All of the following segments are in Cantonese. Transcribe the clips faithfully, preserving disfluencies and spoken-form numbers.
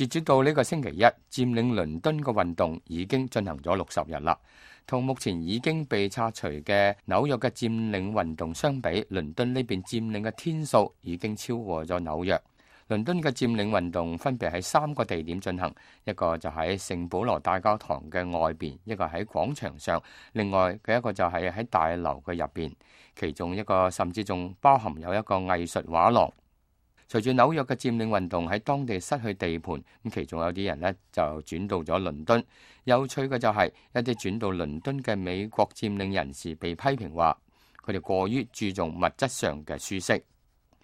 截止到呢個星期一，佔領倫敦嘅運動已經進行咗六十日啦。同目前已經被拆除嘅紐約嘅佔領運動相比，倫敦呢邊佔領嘅天數已經超過咗紐約。倫敦嘅佔領運動分別喺三個地點進行，一個就喺聖保羅大教堂嘅外邊，一個喺廣場上，另外嘅一個就係喺大樓嘅入邊。其中一個甚至仲包含有一個藝術畫廊。隨住紐約嘅佔領運動喺當地失去地盤，咁其中有啲人呢就轉到咗倫敦。有趣嘅就係一啲轉到倫敦嘅美國佔領人士被批評話，佢哋過於注重物質上嘅舒適。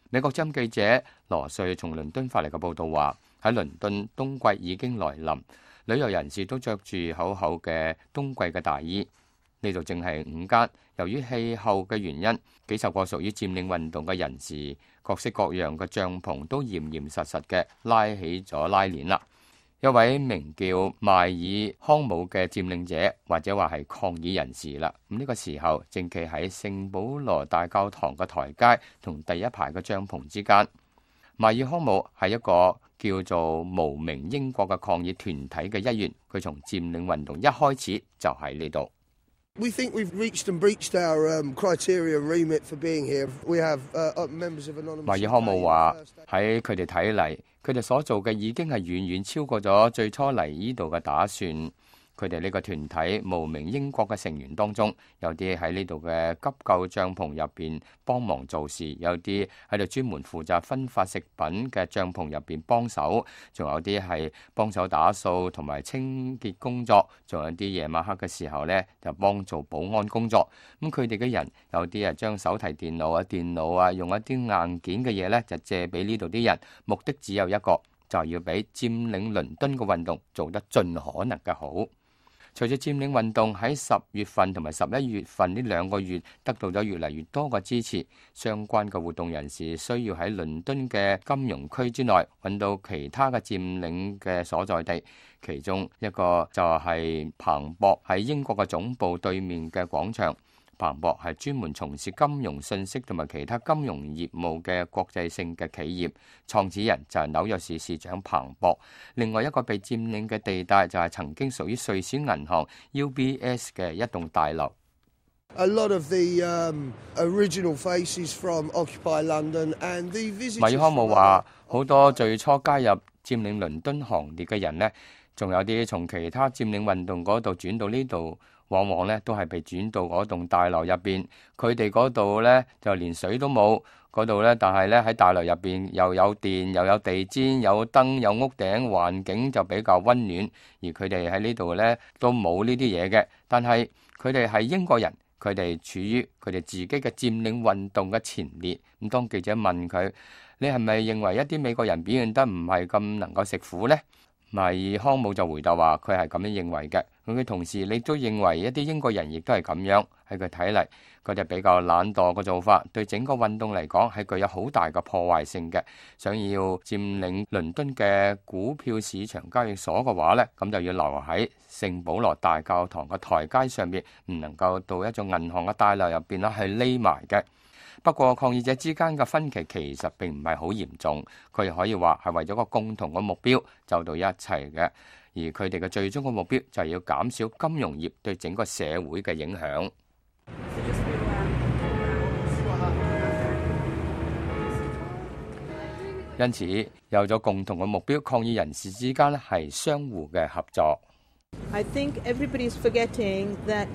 美國之音記者羅瑞從倫敦發嚟嘅報道話，喺倫敦冬季已經來臨，旅遊人士都着住厚厚嘅冬季嘅大衣。呢度正係午間，由於氣候嘅原因，幾十個屬於佔領運動嘅人士，各式各樣嘅帳篷都嚴嚴實實嘅拉起咗拉鏈啦。一位名叫邁爾康姆嘅佔領者，或者話係抗議人士啦。咁呢個時候正企喺聖保羅大教堂嘅台階同第一排嘅帳篷之間。邁爾康姆係一個叫做無名英國嘅抗議團體嘅一員，佢從佔領運動一開始就喺呢度。We think we've reached and breached our um, criteria and remit for being here. We have uh, members of anonymous. 邁爾康姆話喺佢哋睇嚟，佢哋所做嘅已經係遠遠超過咗最初嚟呢度嘅打算。佢哋呢個團體無名英國嘅成員當中，有啲喺呢度嘅急救帳篷入邊幫忙做事，有啲喺度專門負責分發食品嘅帳篷入邊幫手，仲有啲係幫手打掃同埋清潔工作，仲有啲夜晚黑嘅時候呢，就幫做保安工作。咁佢哋嘅人有啲啊將手提電腦啊、電腦啊用一啲硬件嘅嘢呢，就借俾呢度啲人，目的只有一個，就係要俾佔領倫敦嘅運動做得盡可能嘅好。隨住佔領運動喺十月份同埋十一月份呢兩個月得到咗越嚟越多嘅支持，相關嘅活動人士需要喺倫敦嘅金融區之內揾到其他嘅佔領嘅所在地，其中一個就係彭博喺英國嘅總部對面嘅廣場。彭博係專門從事金融信息同埋其他金融業務嘅國際性嘅企業，創始人就係紐約市市長彭博。另外一個被佔領嘅地帶就係曾經屬於瑞士銀行 U B S 嘅一棟大樓。A lot of the um, original faces from Occupy London and the visitors. 邁爾康姆話，好多最初加入佔領倫敦行列嘅人呢，仲有啲從其他佔領運動嗰度轉到呢度。往往咧都係被轉到嗰棟大樓入邊，佢哋嗰度咧就連水都冇，嗰度咧但係咧喺大樓入邊又有電又有地氈有燈有屋頂，環境就比較溫暖。而佢哋喺呢度咧都冇呢啲嘢嘅，但係佢哋係英國人，佢哋處於佢哋自己嘅佔領運動嘅前列。咁當記者問佢：你係咪認為一啲美國人表現得唔係咁能夠食苦呢？邁爾康姆就回答話：佢係咁樣認為嘅。咁佢同時你都認為一啲英國人亦都係咁樣。喺佢睇嚟，佢哋比較懶惰嘅做法，對整個運動嚟講係具有好大嘅破壞性嘅。想要佔領倫敦嘅股票市場交易所嘅話呢，咁就要留喺聖保羅大教堂嘅台階上面，唔能夠到一種銀行嘅大樓入邊啦，係匿埋嘅。不過抗議者之間嘅分歧其實並唔係好嚴重，佢哋可以話係為咗個共同嘅目標走到一齊嘅，而佢哋嘅最終嘅目標就係要減少金融業對整個社會嘅影響。因此有咗共同嘅目標，抗議人士之間咧係相互嘅合作。I think everybody's forgetting that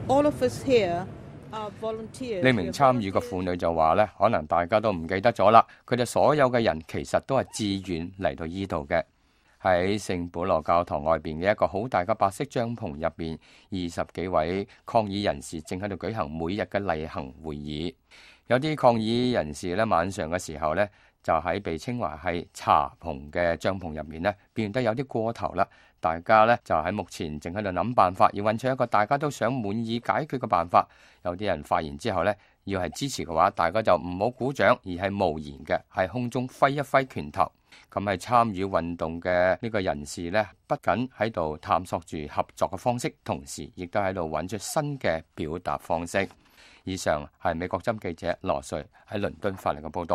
all of us here。呢名參與嘅婦女就話咧，可能大家都唔記得咗啦。佢哋所有嘅人其實都係自願嚟到依度嘅。喺聖保羅教堂外邊嘅一個好大嘅白色帳篷入邊，二十幾位抗議人士正喺度舉行每日嘅例行會議。有啲抗議人士咧，晚上嘅時候咧，就喺被稱為係茶棚嘅帳篷入面咧，表現得有啲過頭啦。大家咧就喺目前正喺度諗辦法，要揾出一個大家都想滿意解決嘅辦法。有啲人發言之後咧，要係支持嘅話，大家就唔好鼓掌，而係無言嘅，喺空中揮一揮拳頭。咁係參與運動嘅呢個人士咧，不僅喺度探索住合作嘅方式，同時亦都喺度揾出新嘅表達方式。以上係美國之音記者羅瑞喺倫敦發嚟嘅報道。